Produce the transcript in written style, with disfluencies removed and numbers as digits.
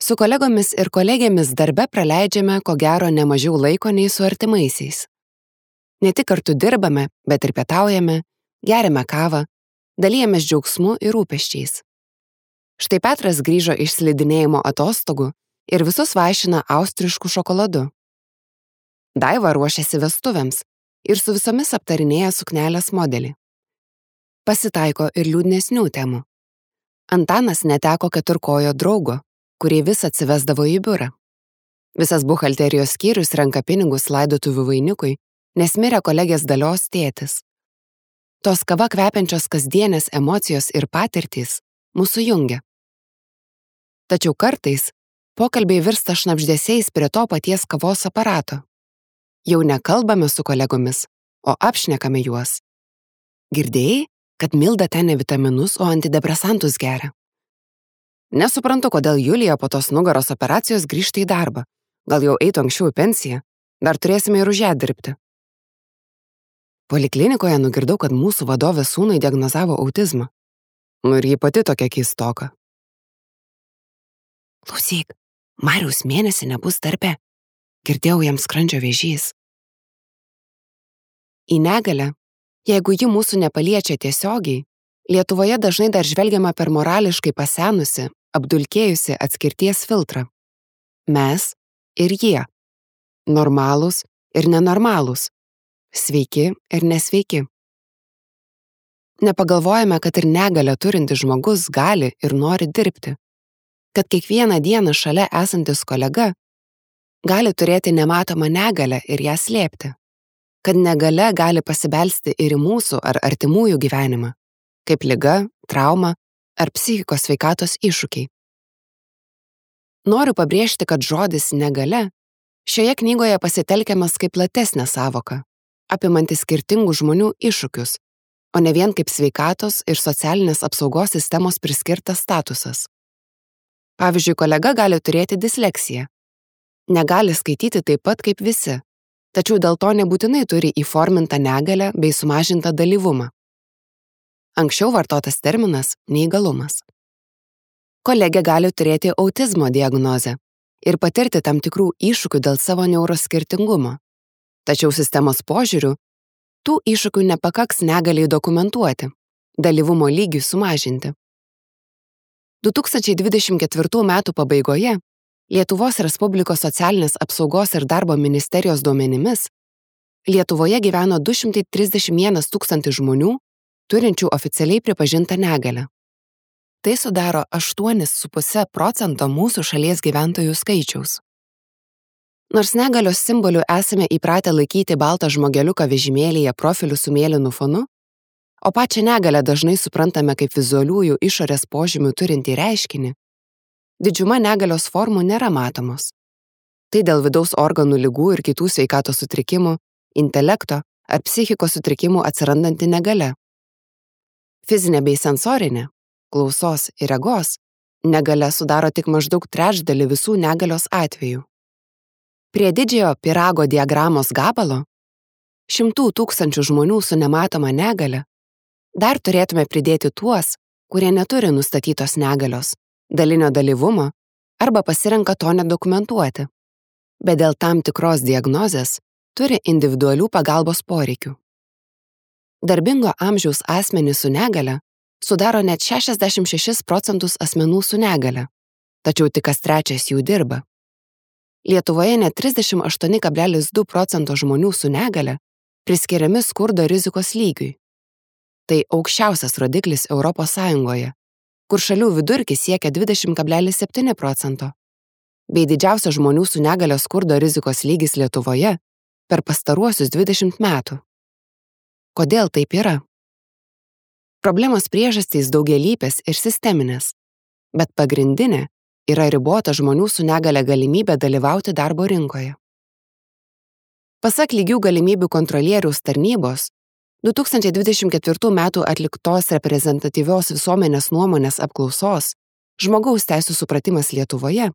Su kolegomis ir kolegėmis darbe praleidžiame ko gero nemažiau laiko nei su artimaisiais. Ne tik kartu dirbame, bet ir pietaujame, geriame kavą, dalijamės džiaugsmu ir rūpesčiais. Štai Petras grįžo iš slidinėjimo atostogų ir visus vaišina austrišku šokoladu. Daiva ruošiasi vestuvėms ir su visomis aptarinėja suknelės modelį. Pasitaiko ir liūdnesnių temų. Antanas neteko keturkojo draugo, kurį vis atsivesdavo į biurą. Visas buhalterijos skyrius renka pinigus laidotuvių vainikui, nes mirė kolegės Dalios tėtis. Tos kava kvepiančios kasdienės emocijos ir patirtys mūsų jungia. Tačiau kartais pokalbiai virsta šnabždesiais prie to paties kavos aparato. Jau nekalbame su kolegomis, o apšnekame juos. Girdėjai, kad Milda ten ne vitaminus, o antidepresantus geria? Nesuprantu, kodėl Julija po tos nugaros operacijos grįžta į darbą. Gal jau eitų anksčiau į pensiją? Dar turėsime ir už ją dirbti. Poliklinikoje nugirdau, kad mūsų vadovės sūnui diagnozavo autizmą. Ir ji pati tokia keistoka. Klausyk, Mariaus mėnesį nebus darbe. Girdėjau jam skrandžio vėžys. Į negalią, jeigu ji mūsų nepaliečia tiesiogiai, Lietuvoje dažnai dar žvelgiama per morališkai pasenusi, apdulkėjusi atskirties filtrą. Mes ir jie. Normalūs ir nenormalūs. Sveiki ir nesveiki. Nepagalvojame, kad ir negalią turintis žmogus gali ir nori dirbti. Kad kiekvieną dieną šalia esantis kolega gali turėti nematomą negalią ir ją slėpti. Kad negalia gali pasibelsti ir į mūsų ar artimųjų gyvenimą, kaip liga, trauma ar psichikos sveikatos iššūkiai. Noriu pabrėžti, kad žodis negalia šioje knygoje pasitelkiamas kaip platesnė sąvoka, apimanti skirtingų žmonių iššūkius, o ne vien kaip sveikatos ir socialinės apsaugos sistemos priskirtas statusas. Pavyzdžiui, kolega gali turėti disleksiją. Negali skaityti taip pat kaip visi, tačiau dėl to nebūtinai turi įformintą negalią bei sumažintą dalyvumą. Anksčiau vartotas terminas neįgalumas. Kolegė gali turėti autizmo diagnozę ir patirti tam tikrų iššūkių dėl savo neuroskirtingumo. Tačiau sistemos požiūriu, tų iššūkių nepakaks negaliai dokumentuoti, dalyvumo lygiui sumažinti. 2024 metų pabaigoje Lietuvos Respublikos socialinės apsaugos ir darbo ministerijos duomenimis Lietuvoje gyveno 231 000 žmonių, turinčių oficialiai pripažintą negalią. Tai sudaro 8,5% mūsų šalies gyventojų skaičiaus. Nors negalios simboliu esame įpratę laikyti baltą žmogeliuką vežimėlyje profiliu su mėlynu fonu, o pačią negalią dažnai suprantame kaip vizualiųjų išorės požymių turintį reiškinį, didžiuma negalios formų nėra matomos. Tai dėl vidaus organų ligų ir kitų sveikatos sutrikimų, intelekto ar psichikos sutrikimų atsirandanti negalia. Fizinė bei sensorinė, klausos ir regos, negalia sudaro tik maždaug trečdalį visų negalios atvejų. Prie didžiojo pyrago diagramos gabalo, 100 000 žmonių su nematoma negalia, dar turėtume pridėti tuos, kurie neturi nustatytos negalios, dalinio dalyvumo arba pasirenka to nedokumentuoti, bet dėl tam tikros diagnozės turi individualių pagalbos poreikių. Darbingo amžiaus asmenys su negalia sudaro net 66% asmenų su negalia, tačiau tik kas trečias jų dirba. Lietuvoje net 38,2% žmonių su negalia priskiriami skurdo rizikos lygiui. Tai aukščiausias rodiklis Europos Sąjungoje, kur šalių vidurkis siekia 20,7%, bei didžiausias žmonių su negalia skurdo rizikos lygis Lietuvoje per pastaruosius 20 metų. Kodėl taip yra? Problemos priežastys daugialypės ir sisteminės, bet pagrindinė yra ribota žmonių su negalia galimybė dalyvauti darbo rinkoje. Pasak lygių galimybių kontrolieriaus tarnybos, 2024 metų atliktos reprezentatyvios visuomenės nuomonės apklausos žmogaus teisių supratimas Lietuvoje